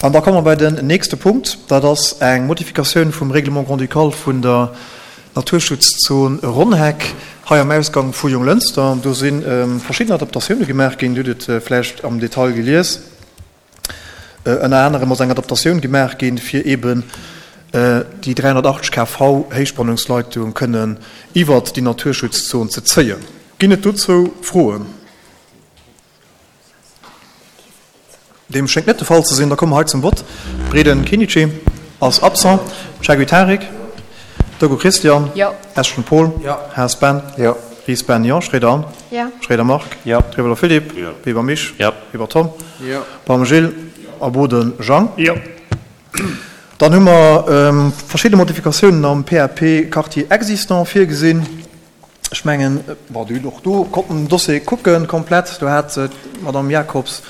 An da komme mer bei den nächste Punkt. Dat ass eng Modifikatioun vum Règlement grand-ducal vun der Naturschutzzon Ronnheck hei am Ausgang vu Jonglënster. Do si verschidden Adaptatioune gemaach ginn. Dir hutt et vläicht am Detail gelies. Ënner anerem ass eng Adaptatioun gemaach ginn, fir eeben déi 380 kV Héichspannungsleitung kënnen iwwert déi Naturschutzzon ze zéien. Ginn et dozou Froen? Deem schéngt net de Fall ze sinn. Da komme mer hei zum Vott. Breden Kenichi ass absent. Chaguy Tarik? Dogo Christian? Jo. Eschen Paul? Jo. Haas Ben? Jo. Ries Ben? Jo. Schroeder Anne? Jo. Schroeder Marc? Jo. Trieweler Philippe? Jo. Weber Misch? Jo. Weber Tom? Jo. Baum Gilles? A Boden Jang? Jo. Dann hu mer verschidde Modifikatiounen am PAP Quartier existant virgesinn. Ech mengen, bon, Dir hutt och do konnten den Dossier kucken komplett. Do hat d'Madame Jacobs,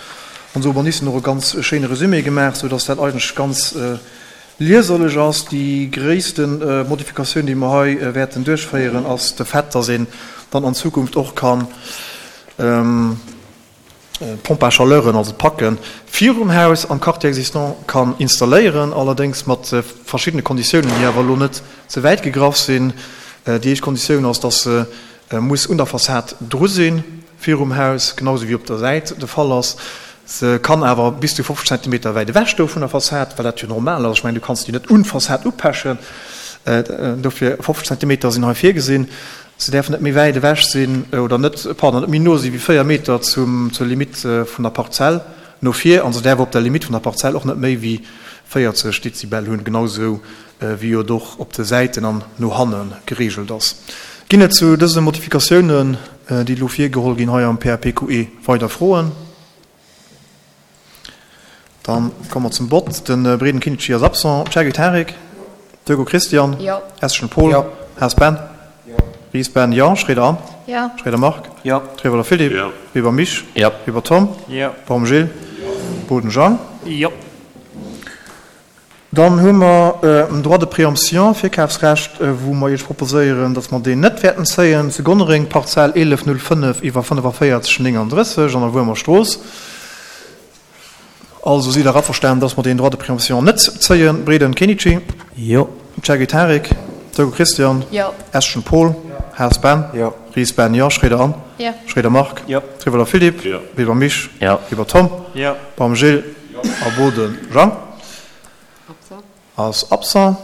ons Urbanistin, och e ganz schéine Resumé gemaach, soudass dat eigentlech ganz lieserlech ass. Déi gréisste Modifikatioun, déi mer hei wäerten duerchféieren, ass de Fait, dass een dann an Zukunft och kann D'Pompes à chaleuren, also d'Packen, virum Haus am Quartier existant kann installéieren, allerdéngs mat verschiddene Konditiounen, déi awer elo net ze wäit gegraff sinn. Déi éischt Konditioun ass, dass se muss un der Fassad dru sinn, virum Haus, genau esou wéi op der Säit de Fall ass. Se kann awer bis zu 50 Zentimeter wäit ewech stoe vun der Fassad, well dat jo normal ass. Ech mengen, du kanns déi net un d'Fassad upechen. Dofir 50 Zentimeter sinn hei virgesinn. Se däerfen net méi wäit ewech sinn, oder net, pardon, net méi no si wéi 4 Meter zum, zur Limitt vun der Parzell no vir, an se däerfe op der Limitt vun der Parzell och net méi wéi 40 Dezibel hunn, genau esou wéi et och op de Säiten an no hanne gereegelt ass. Ginn et zu dëse Modifikatiounen, déi elo virgeholl ginn hei am PAPQE, weider Froen? Dann komme mer zum Vott. De Breden Kinici ass absent. Chergui Tarik? Dögo Christian? Jo. Eschen Paul? Jo. Haas Ben? Jo. Ries Ben? Jo. Schroeder Anne? Jo. Schroeder Marc? Jo. Trieweler Philippe? Jo. Weber Misch? Jo. Weber Tom? Jo. Baum Gilles? Boden Jean? Jo. Dann hu mer en Droit de préemption, Virkafsrecht, wou mer Iech proposéieren, dass mer deen net wäerten zéien, zu Gonnereng, Parzell 1105 iwwer 45 39 an der Wuermer Strooss. Also sidd Der averstanen, dass mer deen Droit de préemption net zéien? Breden Kenichi? Jo. Chergui Tarik? Dogo Christian? Jo. Eschen Paul? Haas Ben? Jo. Ries Ben? Jo. Schroeder Anne? Jo. Schroeder Marc? Jo. Trieweler Philippe? Jo. Weber Misch? Jo. Weber Tom? Jo. Baum Gilles? Jo. A Boden Jean? Ass absent.